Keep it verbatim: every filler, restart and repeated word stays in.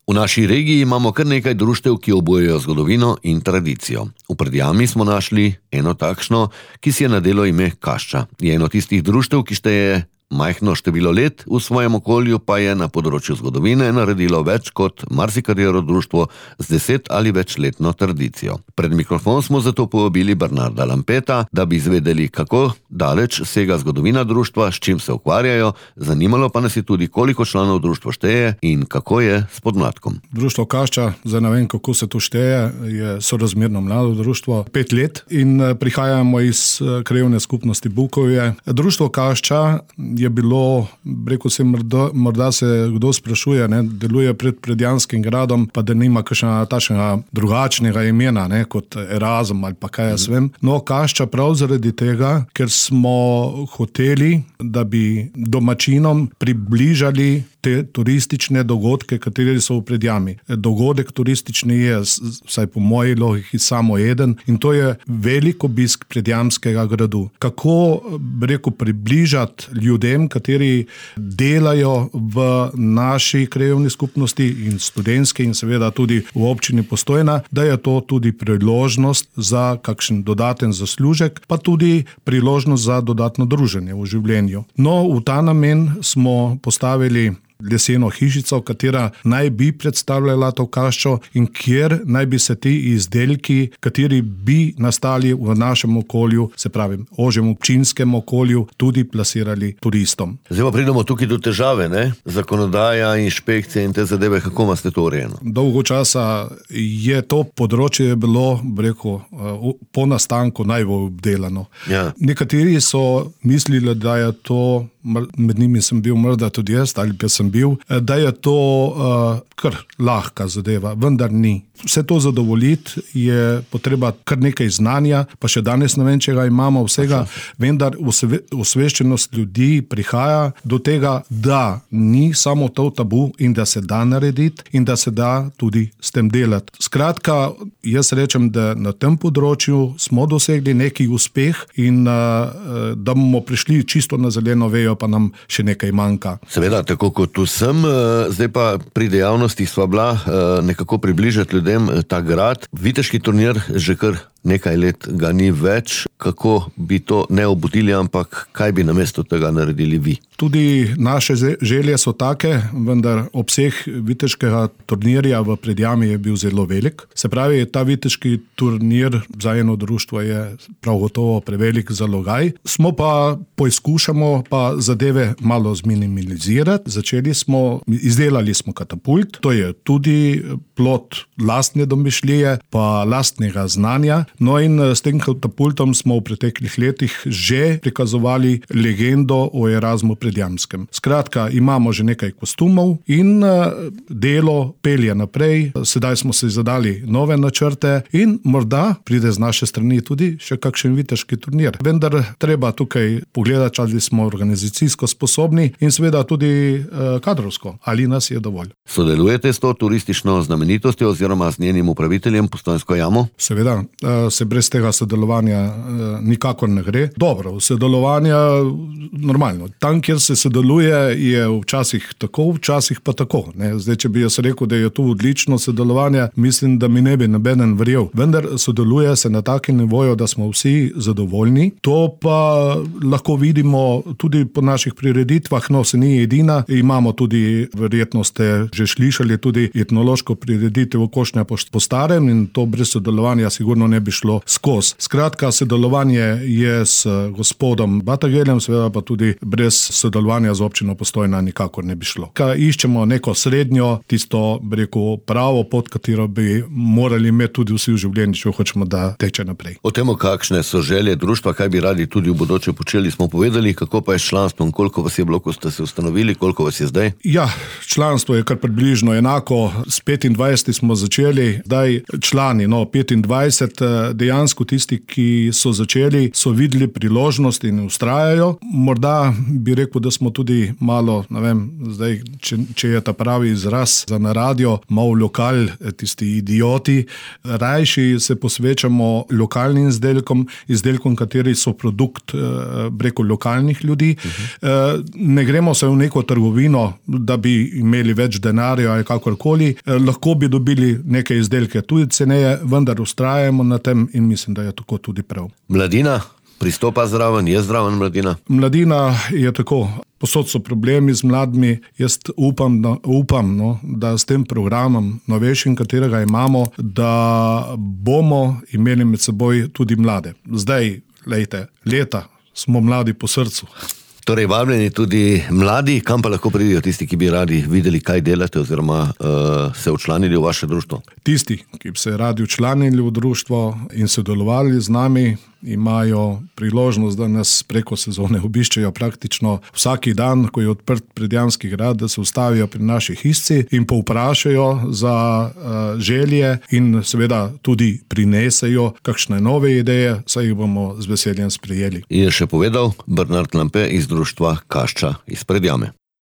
V naši regiji imamo kar nekaj društev, ki obujajo zgodovino in tradicijo. V Predjami smo našli eno takšno, ki si je nadelo ime Kašča. Je eno tistih društev, ki šteje majhno število let, v svojem okolju pa je na področju zgodovine naredilo več kot marsikatero društvo z deset ali večletno tradicijo. Pred mikrofon smo zato povabili Bernarda Lampeta, da bi izvedeli, kako daleč sega zgodovina društva, s čim se ukvarjajo, zanimalo pa nas je tudi, koliko članov društvo šteje in kako je s podmladkom. Društvo Kašča, zdaj ne vem, kako se to šteje, je sorazmerno mlado društvo, pet let in prihajamo iz krajevne skupnosti Bukovje. Društvo Kašča je bilo, rekel sem, morda, morda se kdo sprašuje, ne, deluje pred Predjanskim gradom, pa da nima kakšnega takšnega drugačnega imena, ne, kot Erasm ali pa kaj jaz vem. No, Kašča prav zaradi tega, ker smo hoteli, da bi domačinom približali te turistične dogodke, kateri so v Predjami. Dogodek turistični je, vsaj po moji logiki, samo eden in to je velik obisk Predjamskega gradu. Kako, rekel, približati ljudem, kateri delajo v naši krajevni skupnosti in študentski in seveda tudi v občini Postojna, da je to tudi priložnost za kakšen dodaten zaslužek, pa tudi priložnost za dodatno druženje v življenju. No, v ta namen smo postavili leseno hišico, katera naj bi predstavljala to kaščo in kjer naj bi se ti izdelki, kateri bi nastali v našem okolju, se pravi, ožjem občinskem okolju, tudi plasirali turistom. Zdaj pa pridemo tukaj do težave, ne? Zakonodaja, inšpekcije in te zadeve, kako imate to urejeno? Dolgo časa je to področje bilo, rekel, po nastanku najbolj obdelano. Ja. Nekateri so mislili, da je to, med njimi sem bil morda tudi jaz, ali pa sem bil, da je to uh, kar lahka zadeva, vendar ni. Vse to zadovoljiti je potreba kar nekaj znanja, pa še danes ne vem, če ga imamo vsega, vendar osveščenost ljudi prihaja do tega, da ni samo to tabu in da se da narediti in da se da tudi s tem delati. Skratka, jaz rečem, da na tem področju smo dosegli neki uspeh in uh, da bomo prišli čisto na zeleno vejo, pa nam še nekaj manjka. Seveda, tako kot tu sem, zdaj pa pri dejavnostih sva bila nekako približati ljudem ta grad. Viteški turnir že kar nekaj let ga ni več. Kako bi to ne obudili, ampak kaj bi namesto tega naredili vi? Tudi naše želje so take, vendar obseg viteškega turnirja v Predjami je bil zelo velik. Se pravi, ta viteški turnir za eno društvo je prav gotovo prevelik zalogaj. Smo pa poizkušamo pa zadeve malo zminimalizirati. Začeli smo, izdelali smo katapult, to je tudi plod lastne domišljije pa lastnega znanja. No in s tem katapultom smo v preteklih letih že prikazovali legendo o Erasmu Predjamskem. Skratka, imamo že nekaj kostumov in delo pelje naprej. Sedaj smo se zadali nove načrte in morda pride z naše strani tudi še kakšen viteški turnir. Vendar treba tukaj pogledati, ali smo organizacijsko sposobni in seveda tudi kadrovsko, ali nas je dovolj. Sodelujete s to turistično znamenitostjo oziroma z njenim upraviteljem Postojnsko jamo? Seveda, se brez tega sodelovanja nikakor ne gre. Dobro, sodelovanja normalno. Tam, kjer se sodeluje, je včasih tako, včasih pa tako. Ne? Zdaj, če bi jaz rekel, da je to odlično sodelovanje, mislim, da mi ne bi nobeden verjel. Vendar sodeluje se na takem nivoju, da smo vsi zadovoljni. To pa lahko vidimo tudi po naših prireditvah, no se ni edina. Imamo tudi, verjetno ste že slišali, tudi etnološko prireditev Košnja po starem in to brez sodelovanja sigurno ne bi šlo skozi. Skratka, sodelovanje je s gospodom Batageljem, seveda pa tudi brez sodelovanja z občino Postojna nikakor ne bi šlo. Kaj iščemo neko srednjo, tisto, bi rekel, pravo pot, katero bi morali imeti tudi vsi v življenju, če hočemo, da teče naprej. O temu, kakšne so želje društva, kaj bi radi tudi v bodoče počeli, smo povedali, kako pa je s članstvom, koliko vas je bilo, ko ste se ustanovili, koliko vas je zdaj? Ja, članstvo je kar približno enako. S petindvajset smo začeli, zdaj člani, no, petindvajset, dejansko tisti, ki so začeli, so videli priložnost in ustrajajo. Morda bi rekel, da smo tudi malo, ne vem, zdaj, če, če je ta pravi izraz za na radio, malo lokal, tisti idioti. Rajši se posvečamo lokalnim izdelkom, izdelkom, kateri so produkt preko lokalnih ljudi. Uh-huh. Ne gremo se v neko trgovino, da bi imeli več denarja ali kakorkoli. Lahko bi dobili neke izdelke tudi ceneje, vendar ustrajamo na tem in mislim, da je tako tudi prav. Mladina pristopa zraven, je zraven mladina? Mladina je tako. Posod so problemi z mladimi. Jaz upam, da, upam no, da s tem programom novejšim, katerega imamo, da bomo imeli med seboj tudi mlade. Zdaj, lejte, leta smo mladi po srcu. Torej, vabljeni tudi mladi, kam pa lahko pridijo tisti, ki bi radi videli, kaj delate oziroma uh, se včlanili v vaše društvo? Tisti, ki bi se radi včlanili v društvo in sodelovali z nami, imajo priložnost, da nas preko sezone obiščejo praktično vsaki dan, ko je odprt Predjamski grad, da se ustavijo pri naši hišci in povprašajo za uh, želje in seveda tudi prinesejo kakšne nove ideje, saj jih bomo z veseljem sprejeli. Je še povedal Bernard Lampe iz društva Kašča iz Predjame.